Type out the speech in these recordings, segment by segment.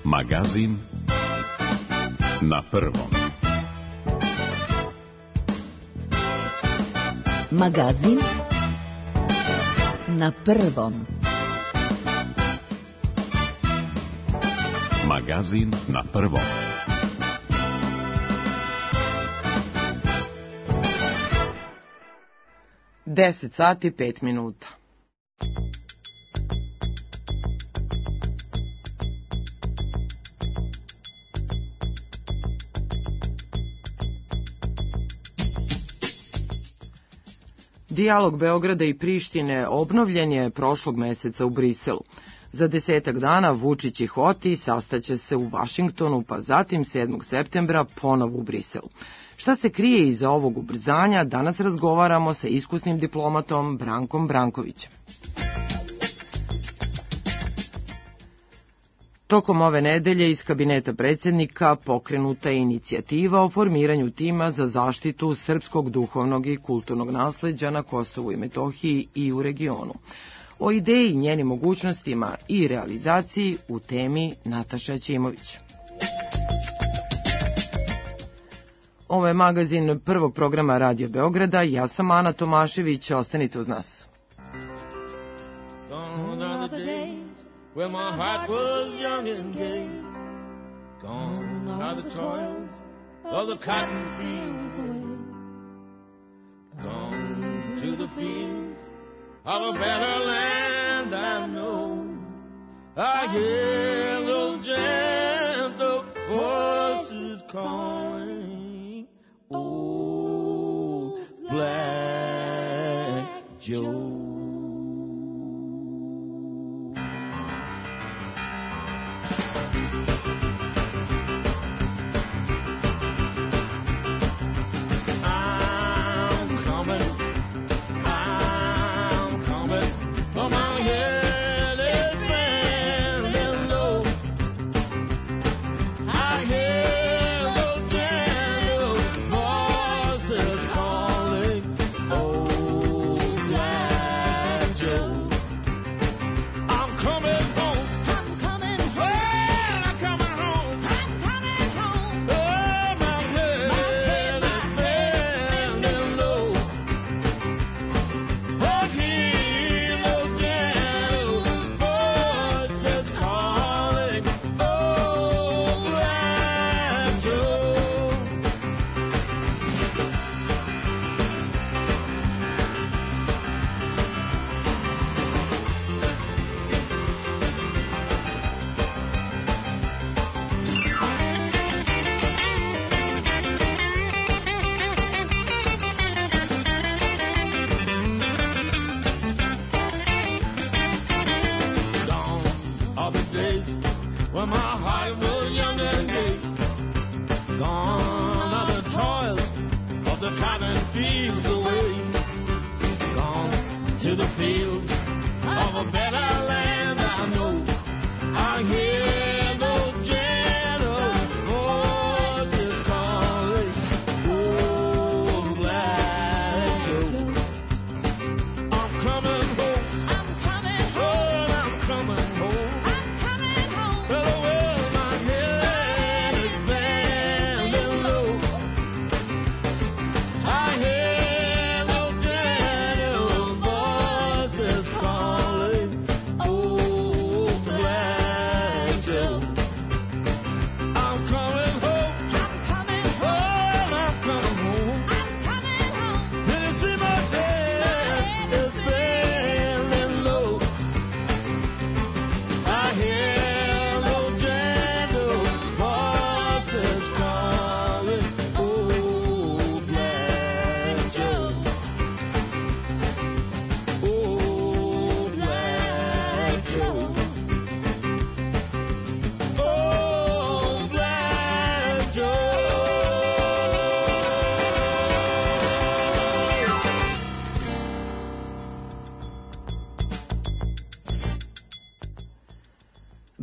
Magazin na prvom. Magazin na prvom. Magazin na prvom. Deset sati, 5 minuta. Dijalog Beograda i Prištine obnovljen je prošlog meseca u Briselu. Za 10 dana Vučić i Hoti sastaće se u Vašingtonu, pa zatim 7. septembra ponovo u Briselu. Šta se krije iza ovog ubrzanja, danas razgovaramo sa iskusnim diplomatom Brankom Brankovićem. Tokom ove nedelje iz kabineta predsjednika pokrenuta je inicijativa o formiranju tima za zaštitu srpskog duhovnog i kulturnog nasleđa na Kosovu i Metohiji i u regionu. O ideji, njenim mogućnostima i realizaciji u temi Nataša Ćimović. Ovo je magazin prvog programa Radio Beograda. Ja sam Ana Tomašević. Ostanite uz nas. When my heart was young and gay, gone are the toils of the cotton fields away, gone to the fields of a better land I know. I hear those gentle voices calling, oh, Black Joe.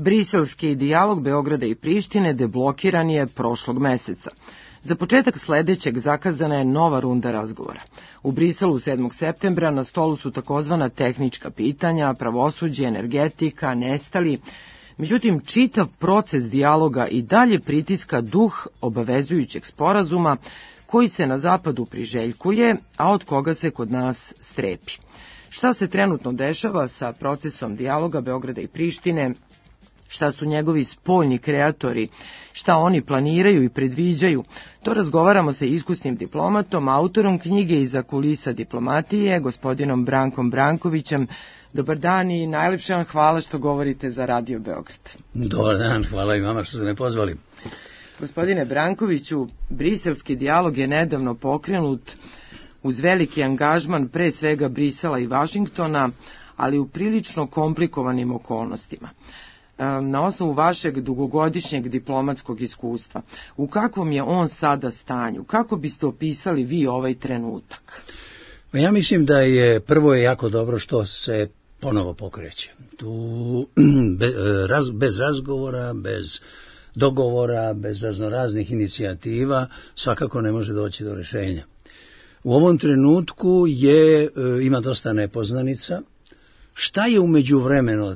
Briselski dijalog Beograda i Prištine deblokiran je prošlog meseca. Za početak sledećeg zakazana je nova runda razgovora. U Briselu 7. septembra na stolu su takozvana tehnička pitanja, pravosuđe, energetika, nestali. Međutim, čitav proces dijaloga i dalje pritiska duh obavezujućeg sporazuma koji se na zapadu priželjkuje, a od koga se kod nas strepi. Šta se trenutno dešava sa procesom dijaloga Beograda i Prištine, šta su njegovi spoljni kreatori, šta oni planiraju i predviđaju, to razgovaramo sa iskusnim diplomatom, autorom knjige Iza kulisa diplomatije, gospodinom Brankom Brankovićem. Dobar dan i najlepše vam hvala što govorite za Radio Beograd. Dobar dan, hvala i vama što ste me pozvali. Gospodine Brankoviću, briselski dijalog je nedavno pokrenut uz veliki angažman pre svega Brisela i Vašingtona, ali u prilično komplikovanim okolnostima. Na osnovu vašeg dugogodišnjeg diplomatskog iskustva, u kakvom je on sada stanju? Kako biste opisali vi ovaj trenutak? Ja mislim da je prvo jako dobro što se ponovo pokreće. Tu bez razgovora, bez dogovora, bez raznoraznih inicijativa svakako ne može doći do rješenja. U ovom trenutku ima dosta nepoznanica. Šta je u međuvremenu,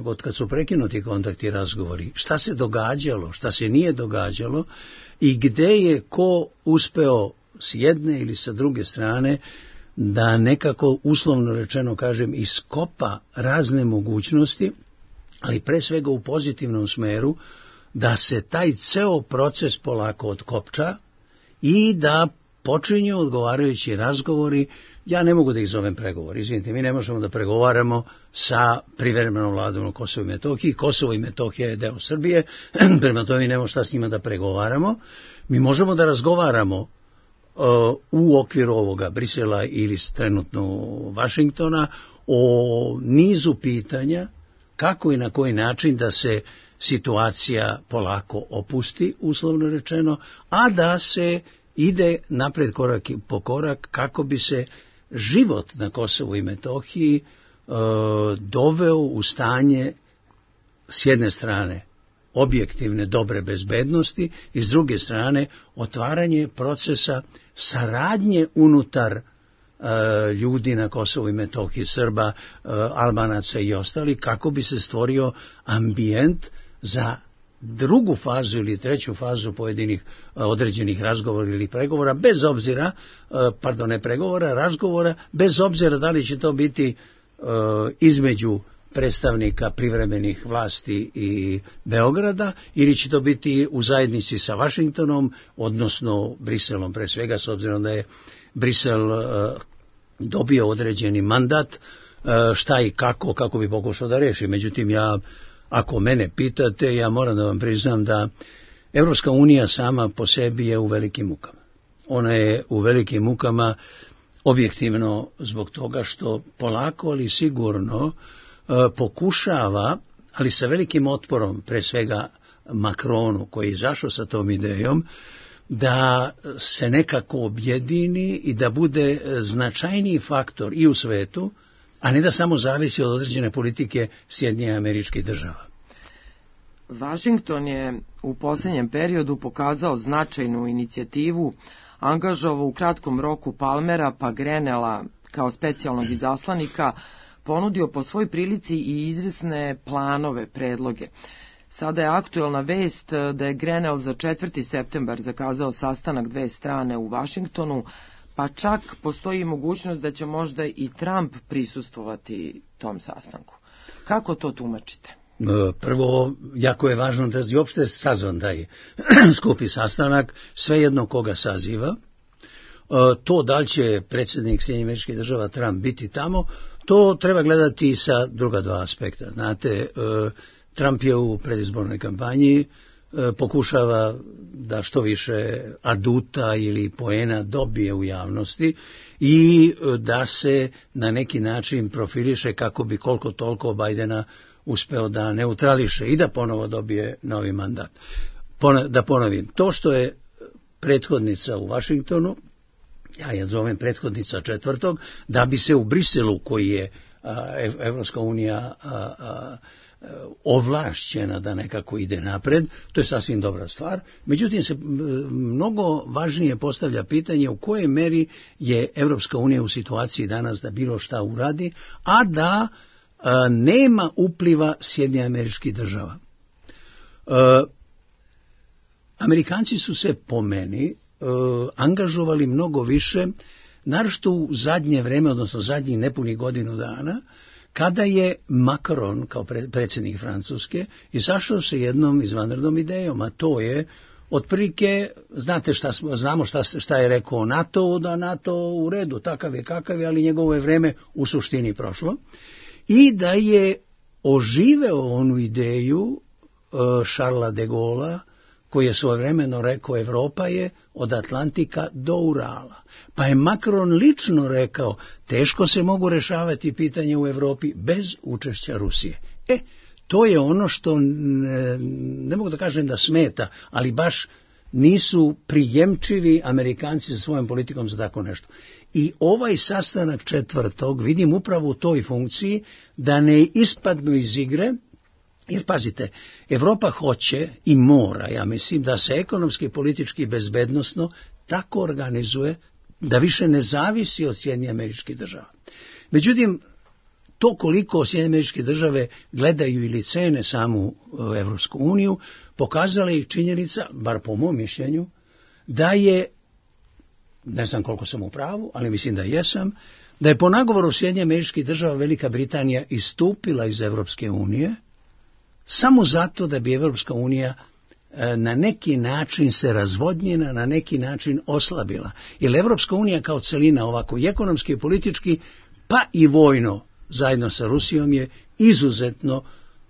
od kad su prekinuti kontakti i razgovori, šta se događalo, šta se nije događalo i gde je ko uspeo s jedne ili sa druge strane da nekako, uslovno rečeno kažem, iskopa razne mogućnosti, ali pre svega u pozitivnom smeru, da se taj ceo proces polako otkopča i da počinju odgovarajući razgovori. Ja ne mogu da ih zovem pregovori, izvinite, mi ne možemo da pregovaramo sa privremenom vladom na Kosovo i Metohiji. Kosovo i Metohija je deo Srbije, prema tome mi nemamo šta s njima da pregovaramo. Mi možemo da razgovaramo u okviru ovoga Brisela ili trenutno Vašingtona o nizu pitanja kako i na koji način da se situacija polako opusti, uslovno rečeno, a da se ide napred korak po korak kako bi se život na Kosovu i Metohiji doveo u stanje s jedne strane objektivne dobre bezbednosti i s druge strane otvaranje procesa saradnje unutar ljudi na Kosovu i Metohiji, Srba, Albanaca i ostali, kako bi se stvorio ambijent za drugu fazu ili treću fazu pojedinih određenih razgovora ili pregovora, bez obzira, razgovora, bez obzira da li će to biti između predstavnika privremenih vlasti i Beograda ili će to biti u zajednici sa Vašingtonom, odnosno Briselom pre svega, s obzirom da je Brisel dobio određeni mandat šta i kako bi pokušao da reši. Međutim, ako mene pitate, ja moram da vam priznam da Evropska unija sama po sebi je u velikim mukama. Ona je u velikim mukama objektivno zbog toga što polako, ali sigurno pokušava, ali sa velikim otporom, pre svega Macronu koji je izašao sa tom idejom, da se nekako objedini i da bude značajniji faktor i u svetu, a ne da samo zavisi od određene politike Sjedinjenih Američkih Država. Vašington je u posljednjem periodu pokazao značajnu inicijativu, angažovao u kratkom roku Palmera pa Grenela kao specijalnog izaslanika, ponudio po svoj prilici i izvesne planove, predloge. Sada je aktuelna vest da je Grenell za 4. septembar zakazao sastanak dve strane u Vašingtonu, pa čak postoji mogućnost da će možda i Trump prisustvovati tom sastanku. Kako to tumačite? Prvo, jako je važno da je uopšte sazvan taj skupi sastanak, svejedno koga saziva. To da li će predsjednik Sjedinjenih Američkih Država Trump biti tamo, to treba gledati sa druga dva aspekta. Znate, Trump je u predizbornoj kampanji, pokušava da što više aduta ili poena dobije u javnosti i da se na neki način profiliše kako bi koliko toliko Bajdena uspeo da neutrališe i da ponovo dobije novi mandat. Da ponovim, to što je prethodnica u Vašingtonu, ja je zovem prethodnica 4. da bi se u Briselu, koji je Evropska unija ovlašćena da nekako ide napred, to je sasvim dobra stvar. Međutim, se mnogo važnije postavlja pitanje u kojoj meri je Evropska unija u situaciji danas da bilo šta uradi, a da nema upliva Sjedinjenih Američkih Država. Amerikanci su se po meni angažovali mnogo više, naročito u zadnje vreme, odnosno zadnjih nepunih godinu dana, kada je Macron, kao predsjednik Francuske, izašao sa jednom izvanrednom idejom, a to je, otprilike, znamo šta je rekao NATO, da NATO u redu, takav je kakav je, ali njegovo je vreme u suštini prošlo, i da je oživeo onu ideju Charlesa de Gaulle'a, koji je svojevremeno rekao Evropa je od Atlantika do Urala. Pa je Macron lično rekao, teško se mogu rešavati pitanje u Evropi bez učešća Rusije. To je ono što, ne mogu da kažem da smeta, ali baš nisu prijemčivi Amerikanci sa svojom politikom za tako nešto. I ovaj sastanak 4. vidim upravo u toj funkciji da ne ispadnu iz igre. Jer pazite, Evropa hoće i mora, ja mislim, da se ekonomski, politički i bezbednosno tako organizuje da više ne zavisi od Sjedinjenih Američkih Država. Međutim, to koliko Sjedinjene Američke Države gledaju ili cene samu Evropsku uniju, pokazala je činjenica, bar po mom mišljenju, da je, ne znam koliko sam u pravu, ali mislim da jesam, da je po nagovoru Sjedinjenih Američkih Država Velika Britanija istupila iz Evropske unije, samo zato da bi Evropska unija na neki način se razvodnjena, na neki način oslabila. Jer Evropska unija kao celina ovako i ekonomski i politički, pa i vojno, zajedno sa Rusijom je izuzetno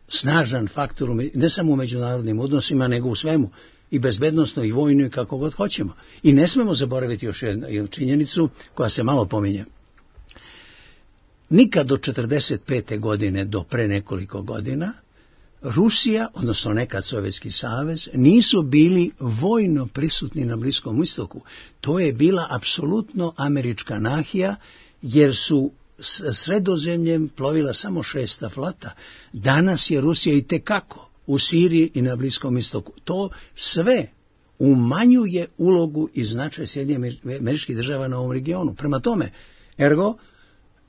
snažan faktor, ne samo u međunarodnim odnosima, nego u svemu, i bezbednosno i vojno i kako god hoćemo. I ne smemo zaboraviti još jednu činjenicu koja se malo pominje. Nikad do 1945. godine, do pre nekoliko godina, Rusija, odnosno nekad Sovjetski savez, nisu bili vojno prisutni na Bliskom istoku. To je bila apsolutno američka nahija, jer su Sredozemljem plovila samo 6. flota. Danas je Rusija i tekako u Siriji i na Bliskom istoku. To sve umanjuje ulogu i značaj Sjedinjenih Američkih Država na ovom regionu. Prema tome, ergo,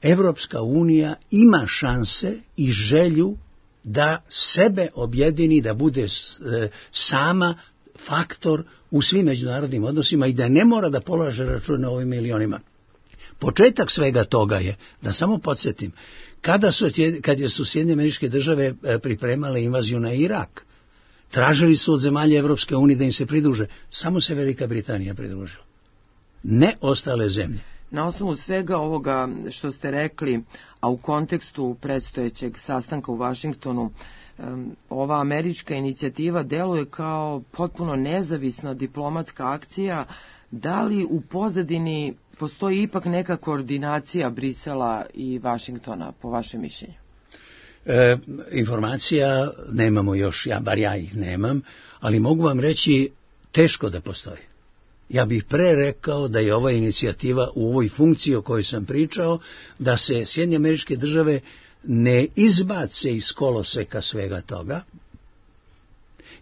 Evropska unija ima šanse i želju da sebe objedini, da bude sama faktor u svim međunarodnim odnosima i da ne mora da polaže račun na ovim milionima. Početak svega toga je, da samo podsjetim, kad su Sjedinjene Američke Države pripremale invaziju na Irak, tražili su od zemalja Evropske unije da im se pridruže, samo se Velika Britanija pridružila, ne ostale zemlje. Na osnovu svega ovoga što ste rekli, a u kontekstu predstojećeg sastanka u Vašingtonu, ova američka inicijativa deluje kao potpuno nezavisna diplomatska akcija. Da li u pozadini postoji ipak neka koordinacija Brisela i Vašingtona, po vašem mišljenju? Informacija nemamo još, bar ja ih nemam, ali mogu vam reći teško da postoji. Ja bih pre rekao da je ova inicijativa u ovoj funkciji o kojoj sam pričao, da se Sjedinjene Američke Države ne izbace iz koloseka svega toga,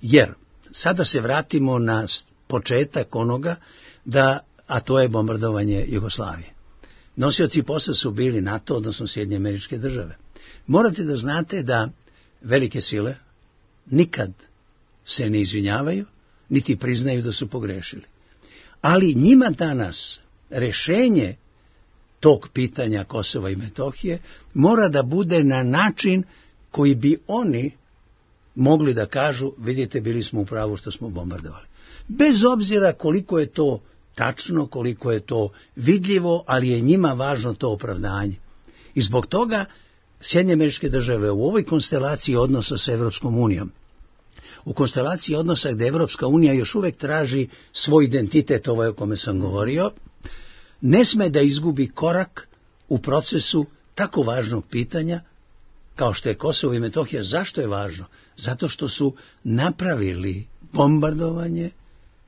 jer sada se vratimo na početak onoga, a to je bombardovanje Jugoslavije. Nosioci posla su bili NATO, odnosno Sjedinjene Američke Države. Morate da znate da velike sile nikad se ne izvinjavaju, niti priznaju da su pogrešili. Ali njima danas rešenje tog pitanja Kosova i Metohije mora da bude na način koji bi oni mogli da kažu, vidite, bili smo u pravu što smo bombardovali. Bez obzira koliko je to tačno, koliko je to vidljivo, ali je njima važno to opravdanje. I zbog toga Sjedinjene Američke Države u ovoj konstelaciji odnosa sa Evropskom unijom, u konstelaciji odnosa gde Evropska unija još uvek traži svoj identitet, ovaj o kome sam govorio, ne sme da izgubi korak u procesu tako važnog pitanja kao što je Kosovo i Metohija. Zašto je važno? Zato što su napravili bombardovanje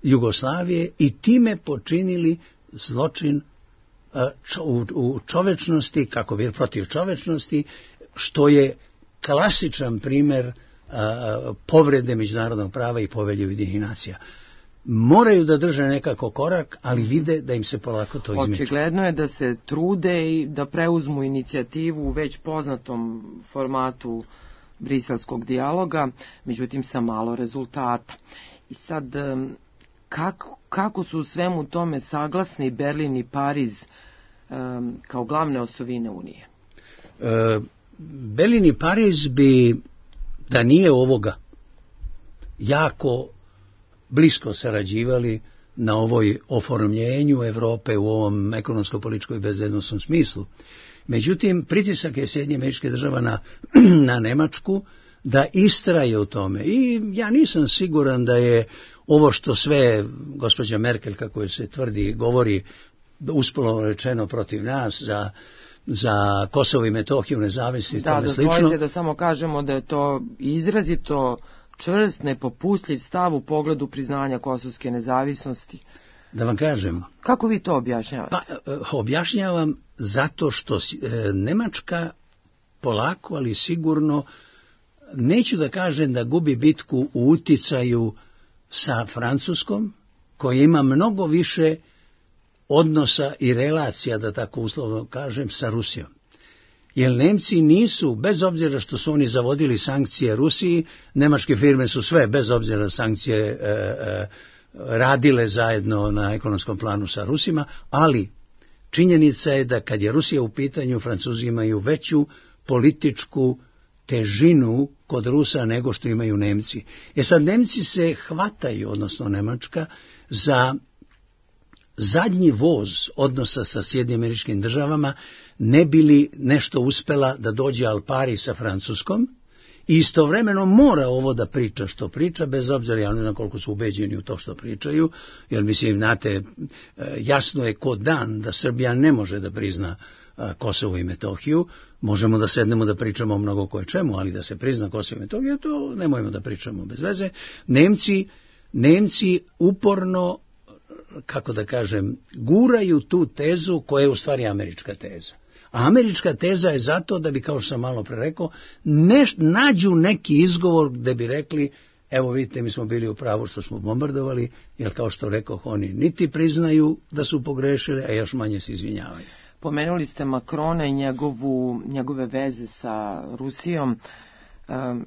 Jugoslavije i time počinili zločin u čovečnosti, kako bi protiv čovečnosti, što je klasičan primer povrede međunarodnog prava i Povelje Ujedinjenih nacija. moraju da drže nekako korak, ali vide da im se polako to izmiče. Očigledno je da se trude i da preuzmu inicijativu u već poznatom formatu briselskog dijaloga, međutim sa malo rezultata. I sad, kako su u svemu tome saglasni Berlin i Pariz kao glavne osovine Unije? Berlin i Pariz bi, da nije ovoga, jako blisko sarađivali na ovoj oformljenju Evrope u ovom ekonomsko-političkom i bezbednosnom smislu. Međutim, pritisak je Sjedinjenih Američkih Država na Nemačku da istraje u tome. I ja nisam siguran da je ovo što sve gospođa Merkel, kako je se tvrdi, govori uspolo rečeno protiv nas za Kosovo i Metohiju, nezavisni i tome slično. Dozvolite da samo kažemo da je to izrazito čvrst, nepopustljiv stav u pogledu priznanja kosovske nezavisnosti. Da vam kažem. Kako vi to objašnjavate? Pa, objašnjavam zato što Nemačka polako, ali sigurno, neću da kažem da gubi bitku u uticaju sa Francuskom, koja ima mnogo više odnosa i relacija, da tako uslovno kažem, sa Rusijom. Jer Nemci nisu, bez obzira što su oni zavodili sankcije Rusiji, nemačke firme su sve, bez obzira na sankcije, radile zajedno na ekonomskom planu sa Rusima, ali činjenica je da kad je Rusija u pitanju, Francuzi imaju veću političku težinu kod Rusa nego što imaju Nemci. Sad Nemci se hvataju, odnosno Nemačka, za zadnji voz odnosa sa Sjedinjenim Američkim Državama, ne bi li nešto uspela da dođe al pari sa Francuskom, i istovremeno mora ovo da priča što priča, bez obzira, ja ne znam koliko su ubeđeni u to što pričaju, jer mislim, znate, jasno je ko dan da Srbija ne može da prizna Kosovo i Metohiju. Možemo da sednemo da pričamo o mnogo koje čemu, ali da se prizna Kosovo i Metohiju, to nemojmo da pričamo bez veze. Nemci uporno, kako da kažem, guraju tu tezu koja je u stvari američka teza. A američka teza je zato da bi, kao što sam malo pre rekao, nađu neki izgovor gde bi rekli, evo vidite, mi smo bili u pravu što smo bombardovali, jer kao što rekoh, oni niti priznaju da su pogrešili, a još manje se izvinjavaju. Pomenuli ste Makrona i njegove veze sa Rusijom.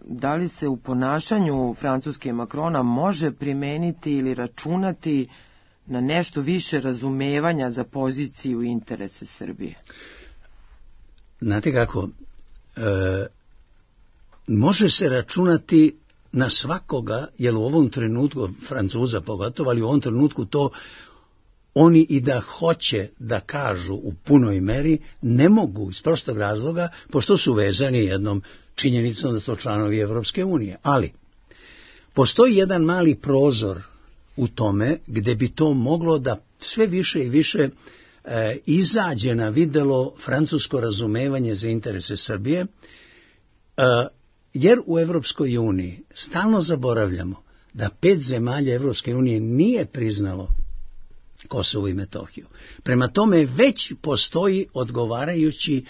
Da li se u ponašanju Francuske Makrona može primeniti ili računati na nešto više razumevanja za poziciju i interese Srbije? Znate kako, može se računati na svakoga, jer u ovom trenutku, Francuza pogotovo, ali u ovom trenutku to oni i da hoće da kažu u punoj meri, ne mogu iz prostog razloga, pošto su vezani jednom činjenicom da su članovi Evropske unije. Ali, postoji jedan mali prozor u tome gde bi to moglo da sve više i više izađe na videlo francusko razumevanje za interese Srbije, jer u Evropskoj uniji stalno zaboravljamo da 5 zemalja Evropske unije nije priznalo Kosovo i Metohiju. Prema tome već postoji odgovarajući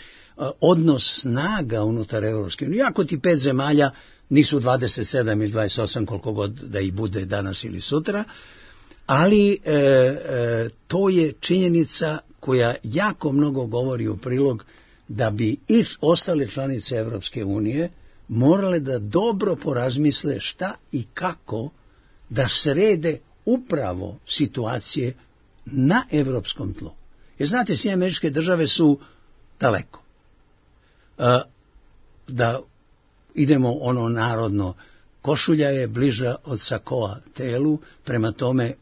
odnos snaga unutar Evropske unije. Iako ti 5 zemalja nisu 27 ili 28 koliko god da ih bude danas ili sutra, ali to je činjenica koja jako mnogo govori u prilog da bi i ostale članice Evropske unije morale da dobro porazmisle šta i kako da srede upravo situacije na evropskom tlu. Jer znate, Sjedinjene Američke Države su daleko. Da idemo ono narodno, košulja je bliža od sakoa telu, prema tome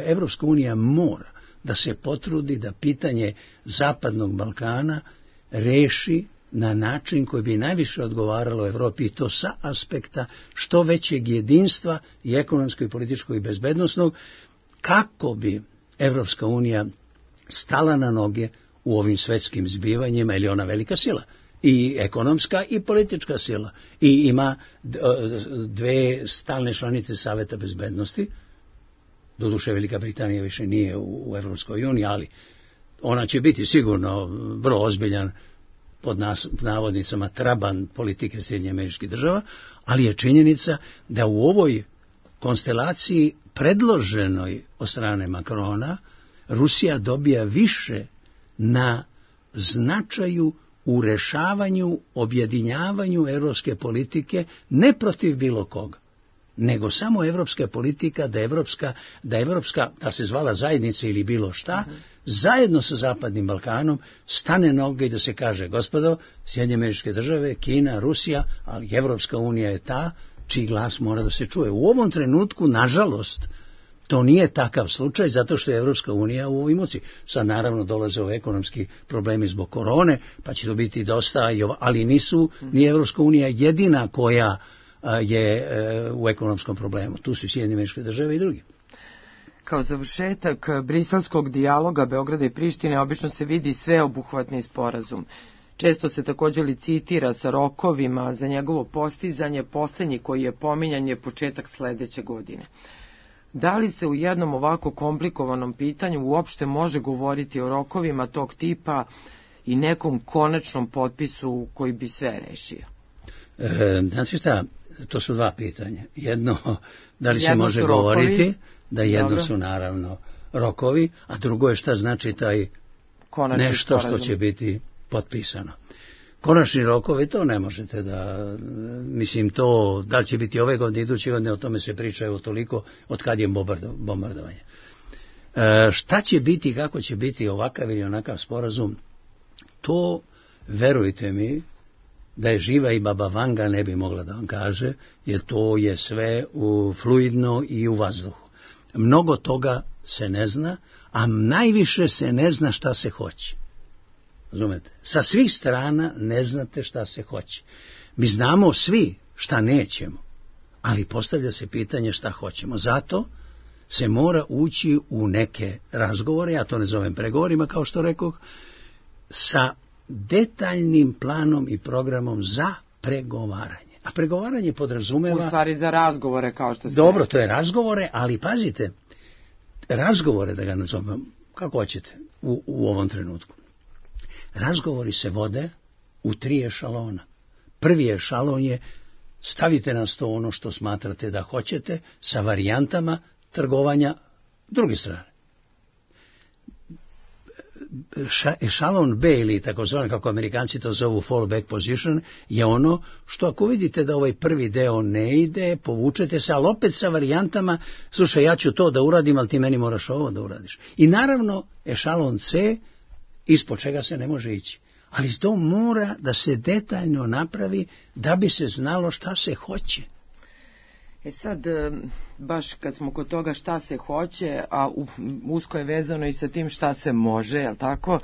Evropska unija mora da se potrudi da pitanje Zapadnog Balkana reši na način koji bi najviše odgovaralo Evropi, i to sa aspekta što većeg jedinstva i ekonomskog i političkog i bezbednosnog, kako bi Evropska unija stala na noge u ovim svetskim zbivanjima, jer je ona velika sila, i ekonomska i politička sila, i ima 2 stalne članice Saveta bezbednosti. Doduše Velika Britanija više nije u Evropskoj uniji, ali ona će biti sigurno vrlo ozbiljan, pod navodnicama, traban politike Sjedinjenih Američkih Država, ali je činjenica da u ovoj konstelaciji predloženoj od strane Makrona Rusija dobija više na značaju u rešavanju, objedinjavanju evropske politike, ne protiv bilo koga, nego samo evropska politika, da se zvala zajednica ili bilo šta, zajedno sa Zapadnim Balkanom stane noge i da se kaže, gospodo, Sjedinjene Američke Države, Kina, Rusija, ali Evropska unija je ta čiji glas mora da se čuje. U ovom trenutku, nažalost, to nije takav slučaj, zato što je Evropska unija u ovoj muci. Sad naravno dolaze ove ekonomski problemi zbog korone, pa će to biti dosta, ali nije Evropska unija jedina koja je u ekonomskom problemu. Tu su Sjedinjene Američke Države i drugi. Kao završetak briselskog dijaloga Beograda i Prištine obično se vidi sveobuhvatni sporazum. Često se također licitira sa rokovima za njegovo postizanje, poslednji koji je pominjan je početak sledeće godine. Da li se u jednom ovako komplikovanom pitanju uopšte može govoriti o rokovima tog tipa i nekom konačnom potpisu koji bi sve rešio? Znači šta, to su dva pitanja. Jedno, da li se može govoriti, da jedno su naravno rokovi, a drugo je šta znači taj konačni nešto sporazum što će biti potpisano. Konačni rokovi, to ne možete da, mislim to, da li će biti ove godine, iduće godine, o tome se priča evo toliko od kad je bombardovanje. Šta će biti, kako će biti ovakav ili onakav sporazum, to, verujte mi, da je živa i baba Vanga ne bi mogla da vam kaže, jer to je sve fluidno i u vazduhu. Mnogo toga se ne zna, a najviše se ne zna šta se hoće. Razumete? Sa svih strana ne znate šta se hoće. Mi znamo svi šta nećemo, ali postavlja se pitanje šta hoćemo. Zato se mora ući u neke razgovore, ja to ne zovem pregovorima kao što rekoh, sa detaljnim planom i programom za pregovaranje. A pregovaranje podrazumeva... U stvari za razgovore kao što se... Dobro, to je razgovore, ali pazite, razgovore da ga nazovem, kako hoćete, u ovom trenutku. Razgovori se vode u 3 ešalona. Prvi ešalon je stavite na sto ono što smatrate da hoćete sa varijantama trgovanja druge strane. Ešalon B ili takozvani, kako Amerikanci to zovu fallback position, je ono što ako vidite da ovaj prvi deo ne ide, povučete se, ali opet sa varijantama, slušaj, ja ću to da uradim, ali ti meni moraš ovo da uradiš. I naravno, ešalon C, ispod čega se ne može ići. Ali to mora da se detaljno napravi da bi se znalo šta se hoće. Sad, baš kad smo kod toga šta se hoće, a usko je vezano i sa tim šta se može, jel tako?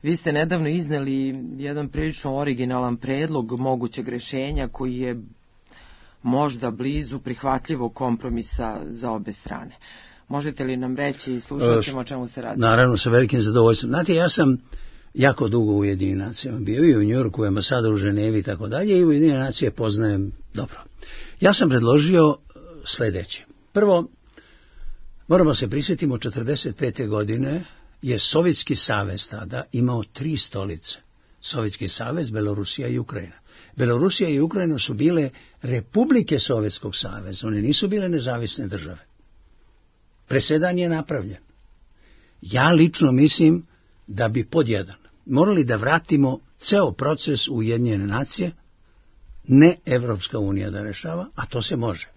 Vi ste nedavno izneli jedan prilično originalan predlog mogućeg rešenja koji je možda blizu prihvatljivog kompromisa za obe strane. Možete li nam reći i slušat o čemu se radi? Naravno, sa velikim zadovoljstvom. Znate, ja sam jako dugo u Ujedinjenim nacijama bio i u Njujorku, ambasador u Ženevi i tako dalje, i Ujedinjene nacije poznajem dobro. Ja sam predložio sledeće. Prvo, moramo se prisjetiti, 1945. godine je Sovjetski savez tada imao 3 stolice. Sovjetski savez, Belorusija i Ukrajina. Belorusija i Ukrajina su bile republike Sovjetskog saveza, one nisu bile nezavisne države. Presedan je napravljen. Ja lično mislim da bi pod jedan morali da vratimo ceo proces u Ujedinjene nacije, ne Evropska unija da rešava, a to se može.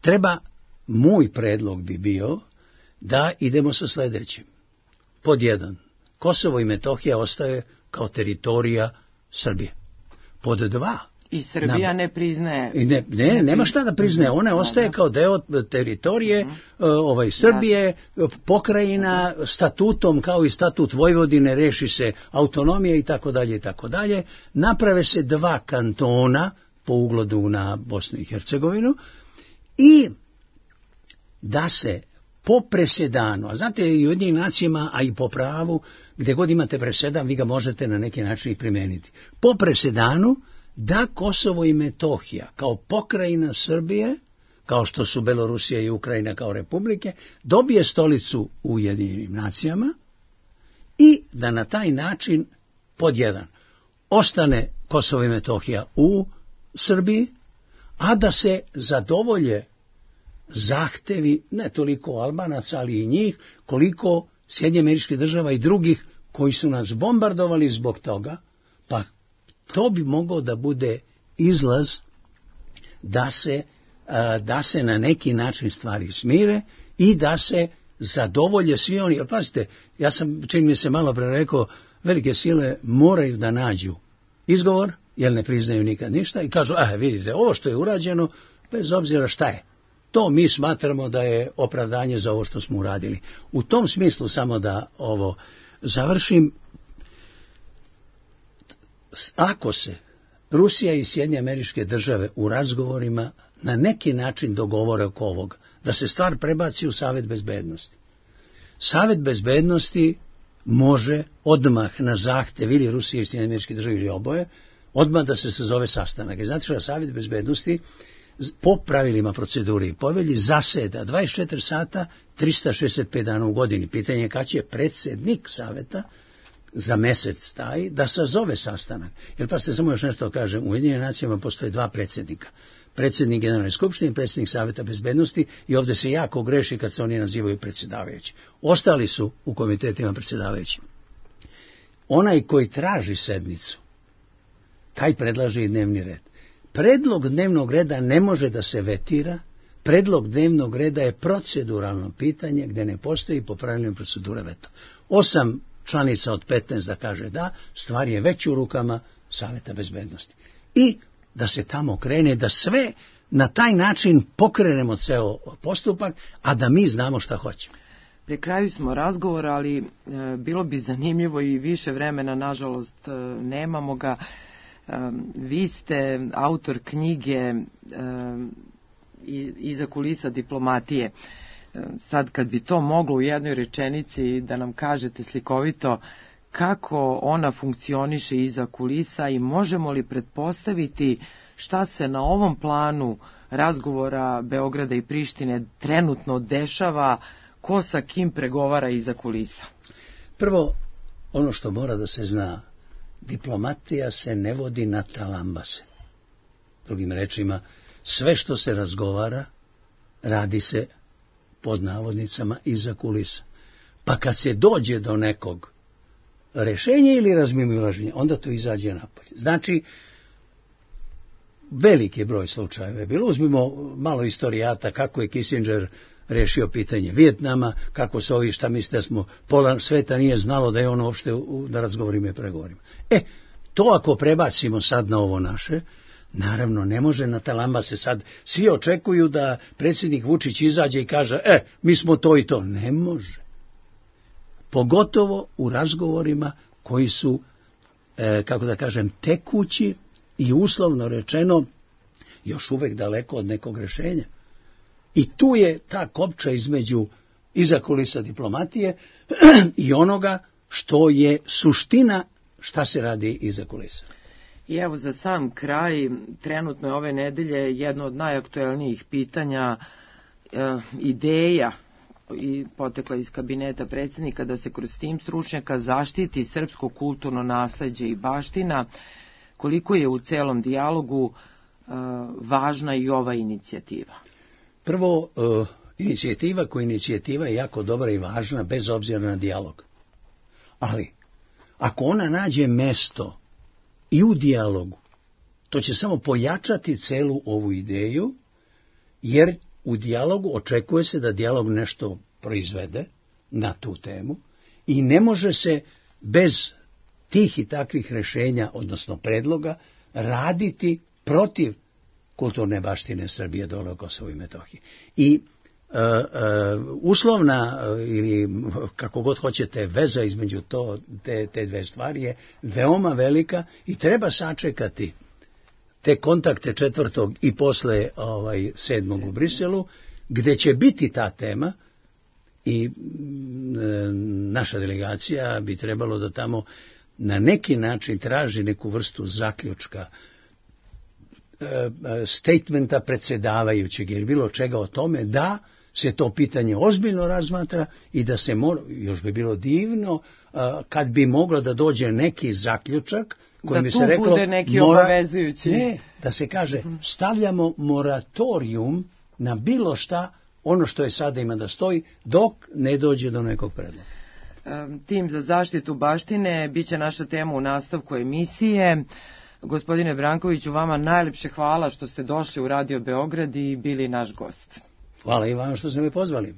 Treba, moj predlog bi bio da idemo sa sledećim. Pod jedan, Kosovo i Metohija ostaje kao teritorija Srbije. Pod dva, i Srbija ne priznaje. Nema šta da priznaje. Ona ostaje kao deo teritorije Srbije, pokrajina, statutom, kao i statut Vojvodine, reši se autonomija i tako dalje i tako dalje. Naprave se 2 kantona po ugledu na Bosnu i Hercegovinu i da se po presedanu, a znate i u Ujedinjenim nacijama, a i po pravu, gde god imate presedan, vi ga možete na neki način i primeniti. Po presedanu da Kosovo i Metohija kao pokrajina Srbije, kao što su Belorusija i Ukrajina kao republike, dobije stolicu u Ujedinjenim nacijama i da na taj način pod jedan ostane Kosovo i Metohija u Srbiji, a da se zadovolje zahtevi ne toliko Albanaca, ali i njih, koliko Sjedinjenih Američkih Država i drugih koji su nas bombardovali zbog toga, pa to bi mogao da bude izlaz da se na neki način stvari smire i da se zadovolje svi oni. Jer pazite, ja sam, čini mi se malo pre rekao, velike sile moraju da nađu izgovor, jer ne priznaju nikad ništa i kažu, vidite, ovo što je urađeno, bez obzira šta je, to mi smatramo da je opravdanje za ovo što smo uradili. U tom smislu, samo da ovo završim, ako se Rusija i Sjedinjene Američke Države u razgovorima na neki način dogovore oko ovoga, da se stvar prebaci u Savet bezbednosti. Savet bezbednosti može odmah na zahtev ili Rusije i Sjedinjenih Američkih Država ili oboje, odmah da se sazove sastanak. I znate što Savet bezbednosti po pravilima procedure i povelji zaseda 24 sata 365 dana u godini. Pitanje je kad će predsjednik Saveta za mesec taj da sazove sastanak. Jer pa ste samo još nešto kažem, u Ujedinjenim nacijama postoje dva predsjednika. Predsjednik Generalne skupštine i predsjednik Saveta bezbednosti i ovdje se jako greši kad se oni nazivaju predsjedavajući. Ostali su u komitetima predsjedavajući. Onaj koji traži sednicu, taj predlaže i dnevni red. Predlog dnevnog reda ne može da se vetira, predlog dnevnog reda je proceduralno pitanje gdje ne postoji po pravilima procedure veto. 8 članica od 15 da kaže da, stvar je već u rukama Saveta bezbednosti. I da se tamo krene, da sve na taj način pokrenemo ceo postupak, a da mi znamo šta hoćemo. Pri kraju smo razgovora, ali bilo bi zanimljivo i više vremena, nažalost nemamo ga. Vi ste autor knjige Iza kulisa diplomatije. Sad kad bi to moglo u jednoj rečenici da nam kažete slikovito kako ona funkcioniše iza kulisa i možemo li pretpostaviti šta se na ovom planu razgovora Beograda i Prištine trenutno dešava, ko sa kim pregovara iza kulisa? Prvo, ono što mora da se zna, diplomatija se ne vodi na talambase. Drugim rečima, sve što se razgovara, radi se pod navodnicama iza kulisa. Pa kad se dođe do nekog rešenja ili razmimoilaženja, onda to izađe napolje. Znači, veliki broj slučajeva je bilo. Uzmimo malo istorijata kako je Kissinger rešio pitanje Vijetnama, kako se ovi, šta mislite da smo, pola sveta nije znalo da je ono uopšte da razgovorimo i pregovorimo. To ako prebacimo sad na ovo naše, naravno ne može na talamba se sad, svi očekuju da predsjednik Vučić izađe i kaže, mi smo to i to. Ne može. Pogotovo u razgovorima koji su, kako da kažem, tekući i uslovno rečeno još uvek daleko od nekog rešenja. I tu je ta kopča između iza kulisa diplomatije i onoga što je suština šta se radi iza kulisa. I evo za sam kraj, trenutno je ove nedelje jedno od najaktuelnijih pitanja, ideja i potekla iz kabineta predsjednika da se kroz tim stručnjaka zaštiti srpsko kulturno nasleđe i baština. Koliko je u celom dijalogu važna i ova inicijativa? Prvo, inicijativa je jako dobra i važna bez obzira na dijalog. Ali, ako ona nađe mesto i u dijalogu, to će samo pojačati celu ovu ideju, jer u dijalogu očekuje se da dijalog nešto proizvede na tu temu i ne može se bez tih i takvih rešenja, odnosno predloga, raditi protiv kulturne baštine Srbije dole u Kosovu i Metohiji. I uslovna ili kako god hoćete veza između te dve stvari je veoma velika i treba sačekati te kontakte 4. i posle 7. u Briselu, gde će biti ta tema i naša delegacija bi trebalo da tamo na neki način traži neku vrstu zaključka, statementa predsjedavajućeg ili bilo čega o tome da se to pitanje ozbiljno razmatra i da se još bi bilo divno kad bi moglo da dođe neki zaključak kojim bi se reklo, bude neki obavezujući. Ne, da se kaže stavljamo moratorijum na bilo šta ono što je sada ima da stoji, dok ne dođe do nekog predloga. Tim za zaštitu baštine biće naša tema u nastavku emisije. Gospodine Brankoviću, vama najlepše hvala što ste došli u Radio Beograd i bili naš gost. Hvala i vama što ste me pozvali.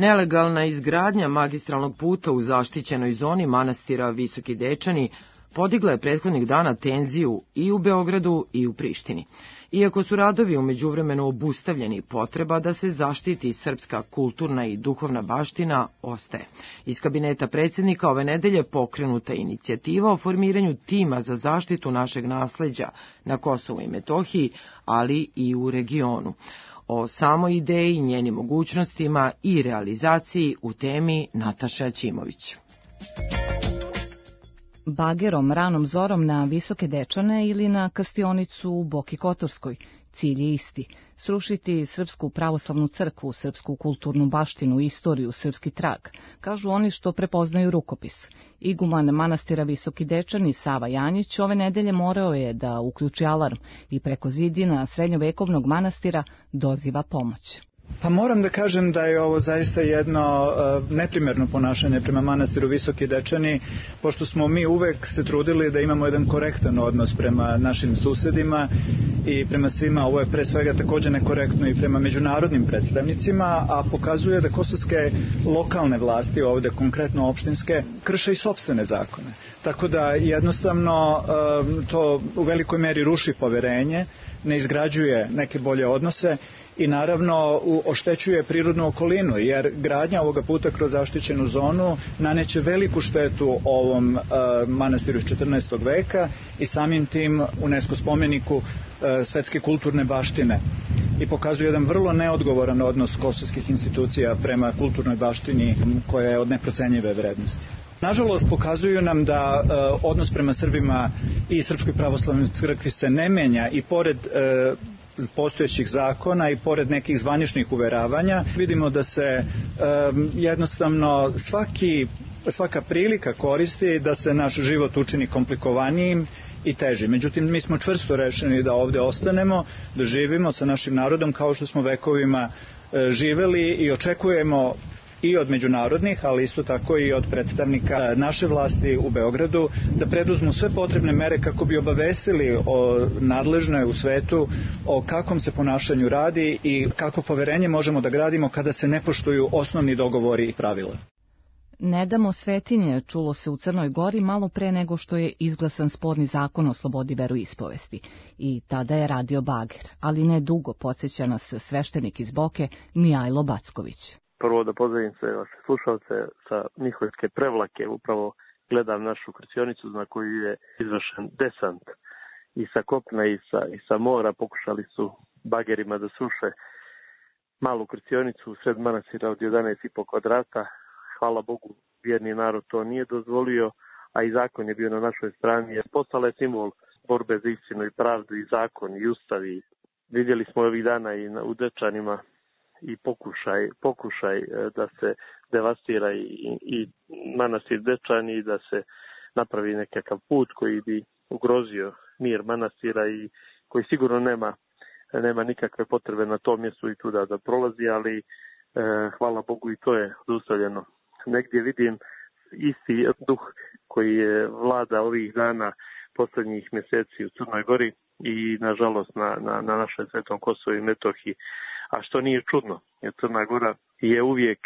Nelegalna izgradnja magistralnog puta u zaštićenoj zoni manastira Visoki Dečani podigla je prethodnih dana tenziju i u Beogradu i u Prištini. Iako su radovi u međuvremenu obustavljeni, potreba da se zaštiti srpska kulturna i duhovna baština ostaje. Iz kabineta predsjednika ove nedelje pokrenuta inicijativa o formiranju tima za zaštitu našeg nasleđa na Kosovu i Metohiji, ali i u regionu. O samoj ideji, njenim mogućnostima i realizaciji u temi Nataša Ćimović. Bagerom ranom zorom na Visoke Dečane ili na Kastionicu u Boki Kotorskoj. Cilj je isti – srušiti Srpsku pravoslavnu crkvu, srpsku kulturnu baštinu, istoriju, srpski trag, kažu oni što prepoznaju rukopis. Iguman manastira Visoki Dečani Sava Janjić ove nedelje morao je da uključi alarm i preko zidina srednjovekovnog manastira doziva pomoć. Pa moram da kažem da je ovo zaista jedno neprimerno ponašanje prema manastiru Visoki Dečani, pošto smo mi uvek se trudili da imamo jedan korektan odnos prema našim susedima i prema svima. Ovo je pre svega takođe nekorektno i prema međunarodnim predstavnicima, a pokazuje da kosovske lokalne vlasti, ovde konkretno opštinske, krše i sopstvene zakone. Tako da jednostavno to u velikoj meri ruši poverenje, ne izgrađuje neke bolje odnose i naravno oštećuje prirodnu okolinu, jer gradnja ovoga puta kroz zaštićenu zonu naneće veliku štetu ovom manastiru iz 14. veka i samim tim UNESCO spomeniku svetske kulturne baštine i pokazuje jedan vrlo neodgovoran odnos kosovskih institucija prema kulturnoj baštini koja je od neprocenjive vrednosti. Nažalost, pokazuju nam da odnos prema Srbima i Srpskoj pravoslavnoj crkvi se ne menja i pored postojećih zakona i pored nekih zvaničnih uveravanja. Vidimo da se jednostavno svaka prilika koristi da se naš život učini komplikovanijim i težim. Međutim, mi smo čvrsto rešeni da ovde ostanemo, da živimo sa našim narodom kao što smo vekovima živeli i očekujemo i od međunarodnih, ali isto tako i od predstavnika naše vlasti u Beogradu, da preduzmu sve potrebne mere kako bi obavestili o nadležne u svetu o kakvom se ponašanju radi i kako poverenje možemo da gradimo kada se ne poštuju osnovni dogovori i pravila. Ne damo svetinje čulo se u Crnoj Gori malo pre nego što je izglasan sporni zakon o slobodi veroispovesti i tada je radio bager, ali ne dugo, podsjeća nas sveštenik iz Boke Mijajlo Backović. Prvo da pozdravim sve vaše slušalce sa Miholjske Prevlake, upravo gledam našu krstionicu na koju je izvršen desant i sa kopna i sa mora. Pokušali su bagerima da sruše malu krstionicu u sred manastira od 11,5 kvadrata. Hvala Bogu, vjerni narod to nije dozvolio, a i zakon je bio na našoj strani. Postala je simbol borbe za istinu i pravdu i zakon i ustav. Vidjeli smo ovih dana i u Dečanima i pokušaj da se devastira i manastir Dečani i da se napravi nekakav put koji bi ugrozio mir manastira i koji sigurno nema nikakve potrebe na tom mjestu i tu da prolazi, ali hvala Bogu i to je zaustavljeno. Negdje vidim isti duh koji je vlada ovih dana posljednjih mjeseci u Crnoj Gori i nažalost na našem svetom Kosovu i Metohiji. A što nije čudno, jer Crna Gora je uvijek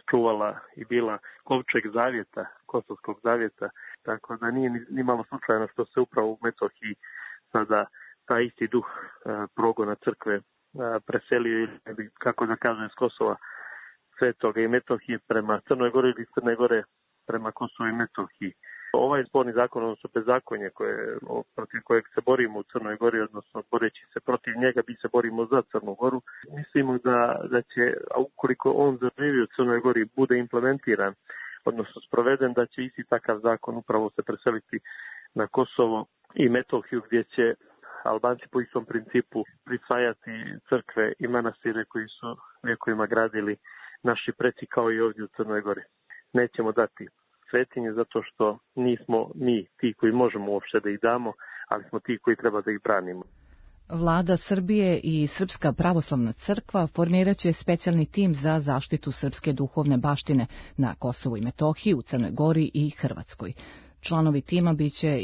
čuvala i bila kovčeg zavjeta, kosovskog zavjeta, tako da nije ni malo slučajno što se upravo u Metohiji sada taj isti duh progona crkve preselio ili, kako da kažem, s Kosova Svetoga i Metohije prema Crnoj Gori ili Crne Gore prema Kosovu i Metohiji. Ovaj sporni zakon, odnosno bezakonje protiv kojeg se borimo u Crnoj Gori, odnosno boreći se protiv njega, mi se borimo za Crnu Goru. Mislimo da će, ukoliko on zaživi u Crnoj Gori, bude implementiran, odnosno sproveden, da će isti takav zakon upravo se preseliti na Kosovo i Metohiju, gdje će Albanci po istom principu prisvajati crkve i manastire koji su vjekovima gradili naši preci, kao i ovdje u Crnoj Gori. Nećemo dati svetinje zato što nismo mi ti koji možemo uopšte da ih damo, ali smo ti koji treba da ih branimo. Vlada Srbije i Srpska pravoslavna crkva formirat će specijalni tim za zaštitu srpske duhovne baštine na Kosovu i Metohiji, u Crnoj Gori i Hrvatskoj. Članovi tima biće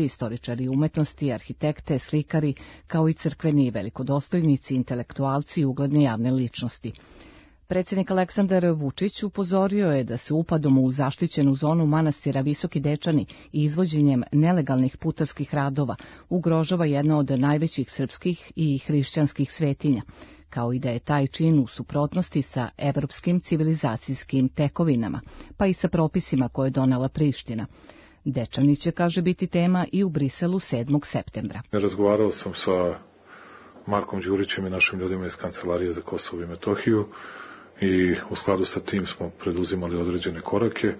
istoričari umetnosti, arhitekte, slikari, kao i crkveni velikodostojnici, intelektualci i ugledne javne ličnosti. Predsjednik Aleksandar Vučić upozorio je da se upadom u zaštićenu zonu manastira Visoki Dečani i izvođenjem nelegalnih putarskih radova ugrožava jedna od najvećih srpskih i hrišćanskih svetinja, kao i da je taj čin u suprotnosti sa evropskim civilizacijskim tekovinama, pa i sa propisima koje je donela Priština. Dečani će, kaže, biti tema i u Briselu 7. septembra. Razgovarao sam sa Markom Đurićem i našim ljudima iz Kancelarije za Kosovo i Metohiju i u skladu sa tim smo preduzimali određene korake.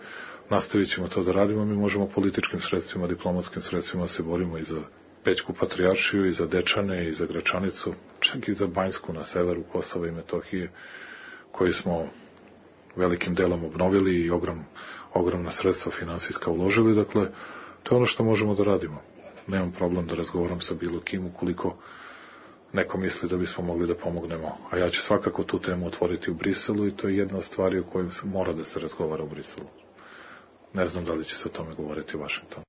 Nastavit ćemo to da radimo. Mi možemo političkim sredstvima, diplomatskim sredstvima se borimo i za Pećku patrijaršiju, i za Dečane, i za Gračanicu, čak i za Banjsku na severu Kosova i Metohije, koji smo velikim delom obnovili i ogromna sredstva finansijska uložili. Dakle, to je ono što možemo da radimo. Nemam problem da razgovaram sa bilo kim ukoliko neko misli da bismo mogli da pomognemo. A ja ću svakako tu temu otvoriti u Briselu i to je jedna od stvari o kojoj mora da se razgovara u Briselu. Ne znam da li će se o tome govoriti u Vašingtonu.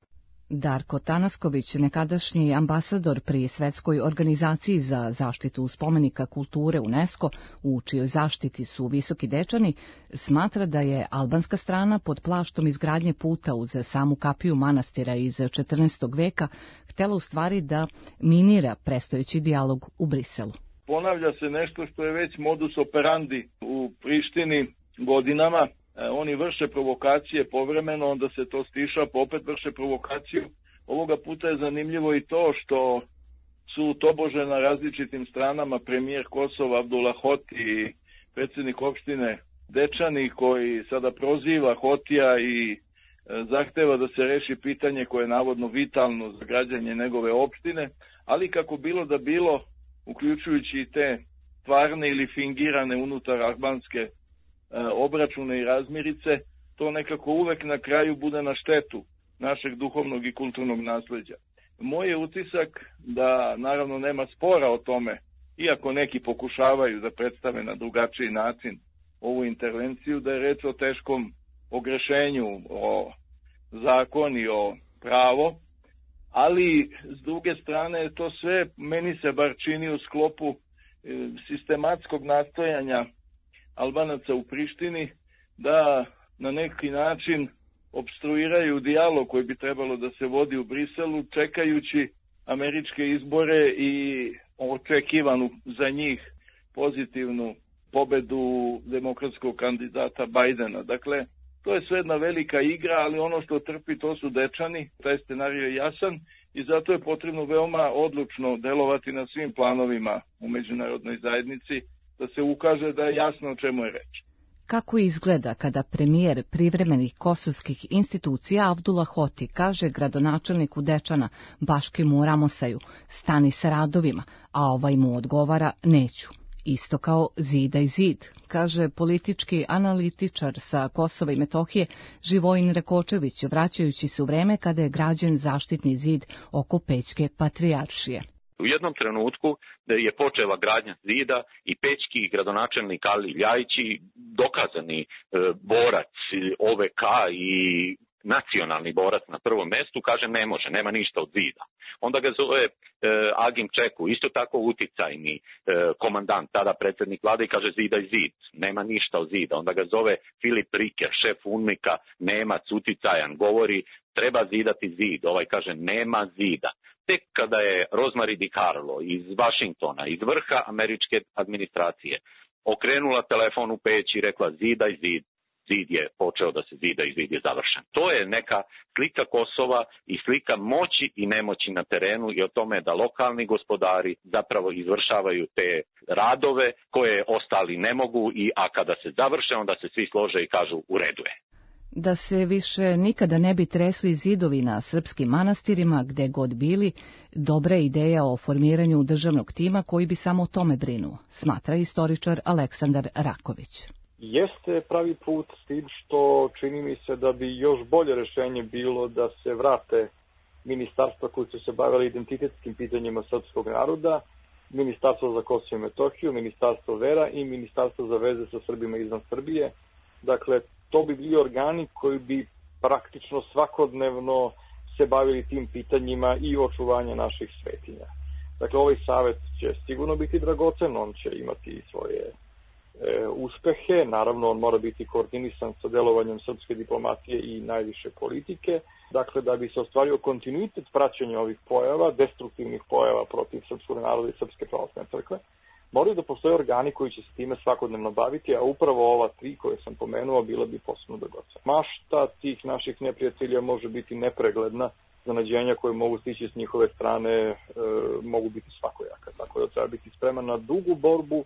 Darko Tanasković, nekadašnji ambasador pri Svetskoj organizaciji za zaštitu spomenika kulture UNESCO, u čijoj zaštiti su Visoki Dečani, smatra da je albanska strana pod plaštom izgradnje puta uz samu kapiju manastira iz 14. veka htela u stvari da minira prestojeći dijalog u Briselu. Ponavlja se nešto što je već modus operandi u Prištini godinama. Oni vrše provokacije povremeno, onda se to stiša, pa opet vrše provokaciju. Ovoga puta je zanimljivo i to što su tobože na različitim stranama premijer Kosova Abdullah Hoti i predsjednik opštine Dečani, koji sada proziva Hotija i zahteva da se reši pitanje koje je navodno vitalno za građanje njegove opštine, ali kako bilo da bilo, uključujući i te stvarne ili fingirane unutar albanske obračune i razmirice, to nekako uvek na kraju bude na štetu našeg duhovnog i kulturnog nasleđa. Moj je utisak da naravno nema spora o tome, iako neki pokušavaju da predstave na drugačiji način ovu intervenciju, da je reč o teškom ogrešenju, o zakon i o pravo, ali s druge strane to sve meni se bar čini u sklopu sistematskog nastojanja Albanaca u Prištini da na neki način opstruiraju dijalog koji bi trebalo da se vodi u Briselu, čekajući američke izbore i očekivanu za njih pozitivnu pobedu demokratskog kandidata Bajdena. Dakle, to je sve jedna velika igra, ali ono što trpi to su Dečani, taj scenarij je jasan i zato je potrebno veoma odlučno delovati na svim planovima u međunarodnoj zajednici, da se ukaže da je jasno o čemu je reč. Kako izgleda kada premijer privremenih kosovskih institucija Abdullah Hoti kaže gradonačelniku Dečana Baškimu Ramosaju stani sa radovima, a ovaj mu odgovara neću. Isto kao Zida i zid, kaže politički analitičar sa Kosova i Metohije Živojin Rekočević, vraćajući se u vreme kada je građen zaštitni zid oko Pećke patrijaršije. U jednom trenutku je počela gradnja zida i pećki gradonačelnik Ali Ljajići, dokazani borac OVK i nacionalni borac na prvom mestu, kaže ne može, nema ništa od zida. Onda ga zove Agim Čeku, isto tako uticajni komandant, tada predsjednik vlade, i kaže zida i zid, nema ništa od zida. Onda ga zove Filip Riker, šef UNMIK-a, Nemac, uticajan, govori treba zidati zid, ovaj kaže nema zida. Tek kada je Rosemary DiCarlo iz Vašingtona, iz vrha američke administracije, okrenula telefon u Peć i rekla zida i zid, zid je počeo da se zida i zid je završen. To je neka slika Kosova i slika moći i nemoći na terenu i o tome da lokalni gospodari zapravo izvršavaju te radove koje ostali ne mogu, a kada se završe onda se svi slože i kažu u redu je. Da se više nikada ne bi tresli zidovi na srpskim manastirima gde god bili, dobra je ideja o formiranju državnog tima koji bi samo o tome brinuo, smatra istoričar Aleksandar Raković. Jeste pravi put s tim što čini mi se da bi još bolje rešenje bilo da se vrate ministarstva koji su se bavili identitetskim pitanjima srpskog naroda, Ministarstvo za Kosovo i Metohiju, Ministarstvo vera i Ministarstvo za veze sa Srbima izvan Srbije. Dakle, to bi bili organi koji bi praktično svakodnevno se bavili tim pitanjima i očuvanja naših svetinja. Dakle, ovaj savet će sigurno biti dragocen, on će imati svoje uspehe, naravno on mora biti koordinisan sa delovanjem srpske diplomatije i najviše politike. Dakle, da bi se ostvario kontinuitet praćenja ovih pojava, destruktivnih pojava protiv srpskog naroda i Srpske pravoslavne crkve, moraju da postoje organi koji će se time svakodnevno baviti, a upravo ova tri koje sam pomenuo bila bi posebno dragocena. Mašta tih naših neprijatelja može biti nepregledna, zanađenja koje mogu stići s njihove strane mogu biti svakojaka, tako da treba biti spreman na dugu borbu,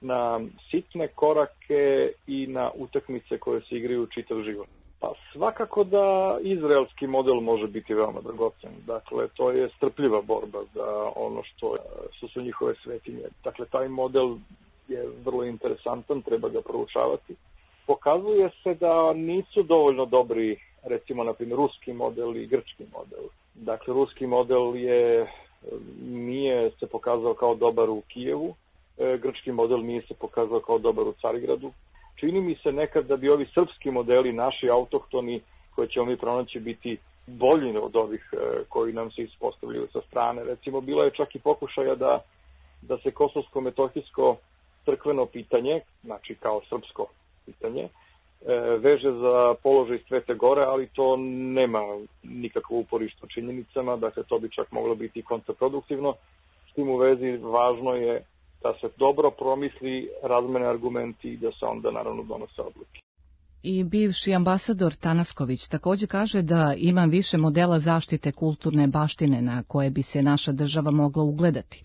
na sitne korake i na utakmice koje se igraju čitav život. Pa svakako da izraelski model može biti veoma dragocen. Dakle, to je strpljiva borba za ono što su njihove svetinje. Dakle, taj model je vrlo interesantan, treba ga proučavati. Pokazuje se da nisu dovoljno dobri, recimo, na primjer, ruski model i grčki model. Dakle, ruski model je nije se pokazao kao dobar u Kijevu, grčki model nije se pokazao kao dobar u Carigradu. Čini mi se nekad da bi ovi srpski modeli, naši autohtoni, koje ćemo mi pronaći biti bolji od ovih koji nam se ispostavljaju sa strane. Recimo, bilo je čak i pokušaja da se kosovsko-metohijsko crkveno pitanje, znači kao srpsko pitanje, veže za položaj Svete Gore, ali to nema nikakvo uporište u činjenicama, dakle to bi čak moglo biti kontraproduktivno. S tim u vezi važno je da se dobro promisli, razmene argumenti i da se onda naravno donose odluke. I bivši ambasador Tanasković također kaže da ima više modela zaštite kulturne baštine na koje bi se naša država mogla ugledati.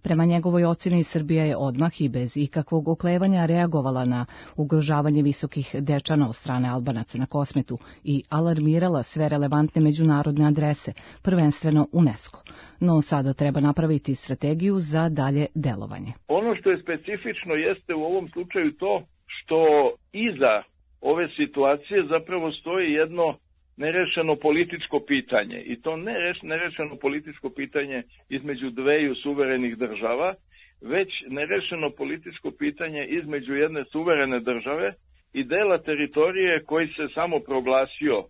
Prema njegovoj ocjeni, Srbija je odmah i bez ikakvog oklevanja reagovala na ugrožavanje visokih dečana od strane Albanaca na Kosmetu i alarmirala sve relevantne međunarodne adrese, prvenstveno UNESCO. No sada treba napraviti strategiju za dalje delovanje. Ono što je specifično jeste u ovom slučaju to što iza ove situacije zapravo stoji jedno nerešeno političko pitanje. I to nerešeno političko pitanje između dveju suverenih država, već nerešeno političko pitanje između jedne suverene države i dela teritorije koji se samo proglasio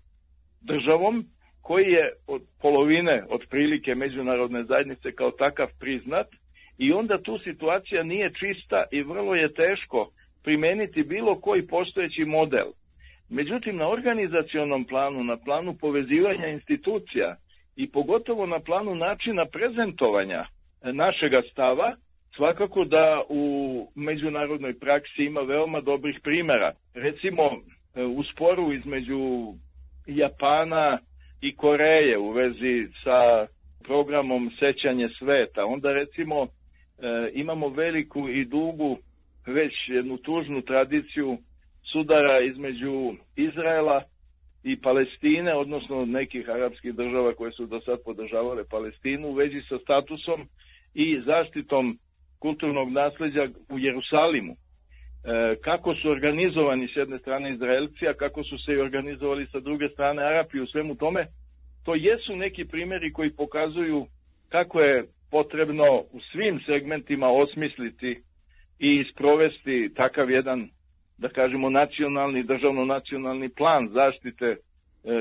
državom, koji je od polovine otprilike međunarodne zajednice kao takav priznat, i onda tu situacija nije čista i vrlo je teško primeniti bilo koji postojeći model. Međutim, na organizacionom planu, na planu povezivanja institucija i pogotovo na planu načina prezentovanja našega stava, svakako da u međunarodnoj praksi ima veoma dobrih primjera. Recimo, u sporu između Japana i Koreje u vezi sa programom Sećanje sveta, onda recimo imamo veliku i dugu, već jednu tužnu tradiciju sudara između Izraela i Palestine, odnosno nekih arapskih država koje su do sad podržavale Palestinu u vezi sa statusom i zaštitom kulturnog nasleđa u Jerusalimu. Kako su organizovani s jedne strane Izraelci, a kako su se i organizovali sa druge strane Arapi u svemu tome, to jesu neki primjeri koji pokazuju kako je potrebno u svim segmentima osmisliti i sprovesti takav jedan, da kažemo, nacionalni, državno-nacionalni plan zaštite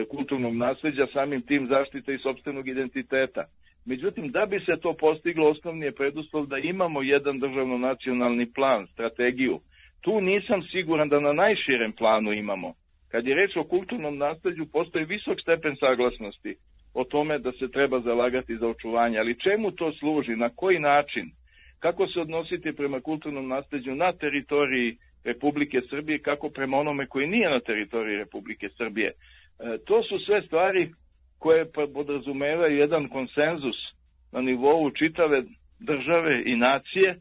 kulturnog nasleđa, samim tim zaštite i sopstvenog identiteta. Međutim, da bi se to postiglo, osnovni je preduslov da imamo jedan državno-nacionalni plan, strategiju. Tu nisam siguran da na najširem planu imamo. Kad je reč o kulturnom nasleđu, postoji visok stepen saglasnosti o tome da se treba zalagati za očuvanje. Ali čemu to služi? Na koji način? Kako se odnositi prema kulturnom nasleđu na teritoriji Republike Srbije, kako prema onome koji nije na teritoriji Republike Srbije? To su sve stvari koje podrazumevaju jedan konsenzus na nivou čitave države i nacije,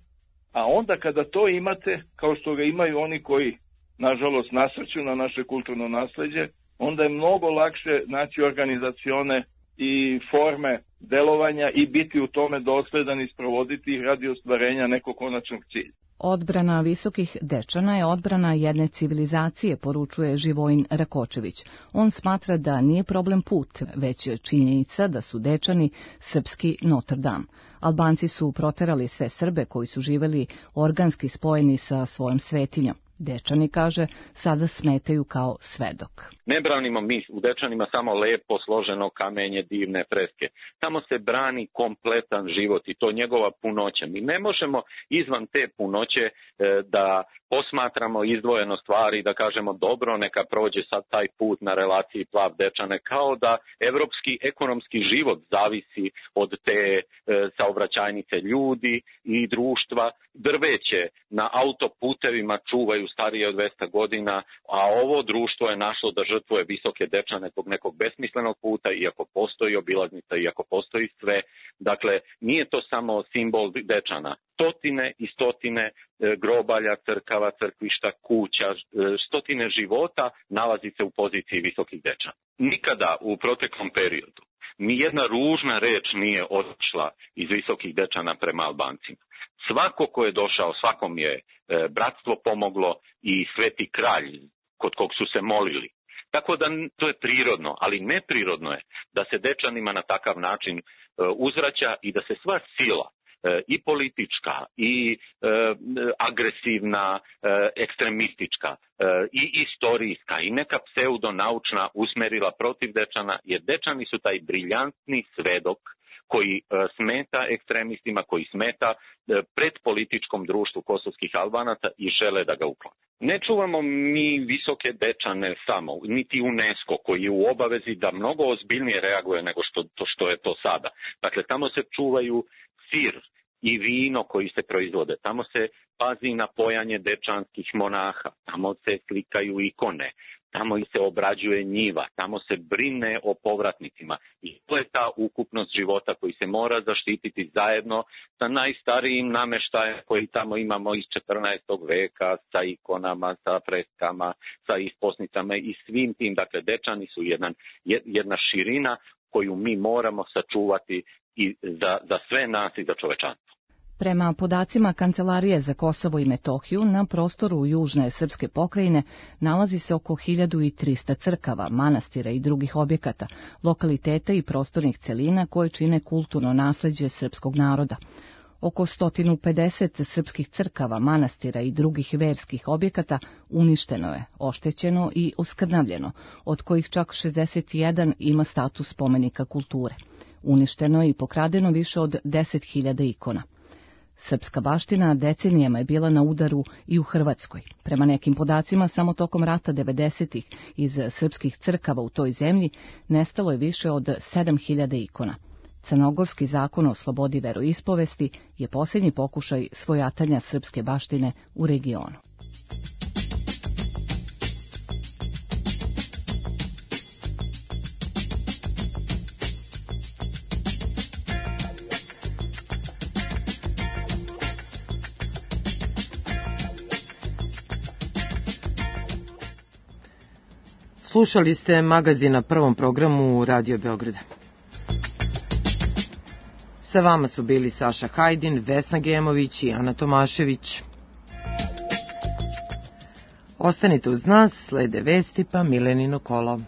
a onda kada to imate, kao što ga imaju oni koji, nažalost, nasrću na naše kulturno nasleđe, onda je mnogo lakše naći organizacione i forme delovanja i biti u tome dosledan i sprovoditi ih radi ostvarenja nekog konačnog cilja. Odbrana visokih dečana je odbrana jedne civilizacije, poručuje Živojin Rakočević. On smatra da nije problem put, već je činjenica da su dečani srpski Notre Dame. Albanci su proterali sve Srbe koji su živeli organski spojeni sa svojom svetinjom. Dečani, kaže, sada smetaju kao svedok. Ne branimo mi u Dečanima samo lepo složeno kamenje, divne freske. Tamo se brani kompletan život i to njegova punoća. Mi ne možemo izvan te punoće da posmatramo izdvojeno stvari, da kažemo dobro, neka prođe sad taj put na relaciji Plav Dečane, kao da evropski ekonomski život zavisi od te saobraćajnice ljudi i društva. Drveće na autoputevima čuvaju starije od 200 godina, a ovo društvo je našlo da žrtvuje visoke Dečane zbog nekog besmislenog puta, iako postoji obilaznica, iako postoji sve. Dakle, nije to samo simbol Dečana. Stotine i stotine grobalja, crkava, crkvišta, kuća, stotine života nalazi se u poziciji visokih Dečana. Nikada u proteklom periodu nijedna ružna reč nije otišla iz visokih Dečana prema Albancima. Svako ko je došao, svakom je bratstvo pomoglo i sveti kralj kod kog su se molili. Tako da to je prirodno, ali neprirodno je da se Dečanima na takav način uzvraća i da se sva sila i politička i agresivna, ekstremistička i istorijska i neka pseudonaučna usmerila protiv Dečana, jer Dečani su taj briljantni svedok koji smeta ekstremistima, koji smeta pred političkom društvu kosovskih Albanaca i žele da ga uklone. Ne čuvamo mi Visoke Dečane samo, niti UNESCO koji je u obavezi da mnogo ozbiljnije reaguje nego što je to sada. Dakle, tamo se čuvaju sir i vino koji se proizvode, tamo se pazi na pojanje dečanskih monaha, tamo se slikaju ikone, tamo se obrađuje njiva, tamo se brine o povratnicima i to je ta ukupnost života koji se mora zaštititi zajedno sa najstarijim nameštajem koji tamo imamo iz 14. veka, sa ikonama, sa freskama, sa isposnicama i svim tim. Dakle, Dečani su jedna širina koju mi moramo sačuvati i za sve nas i za čovečanstvo. Prema podacima Kancelarije za Kosovo i Metohiju, na prostoru južne srpske pokrajine nalazi se oko 1300 crkava, manastira i drugih objekata, lokaliteta i prostornih celina koje čine kulturno nasleđe srpskog naroda. Oko 150 srpskih crkava, manastira i drugih verskih objekata uništeno je, oštećeno i oskrnavljeno, od kojih čak 61 ima status spomenika kulture. Uništeno je i pokradeno više od 10.000 ikona. Srpska baština decenijama je bila na udaru i u Hrvatskoj. Prema nekim podacima, samo tokom rata 90-ih iz srpskih crkava u toj zemlji nestalo je više od 7.000 ikona. Crnogorski zakon o slobodi veroispovesti je posljednji pokušaj svojatanja srpske baštine u regionu. Slušali ste magazin na Prvom programu Radio Beograda. Sa vama su bili Saša Hajdin, Vesna Gemović i Ana Tomašević. Ostanite uz nas, slede vesti pa Milenino kolo.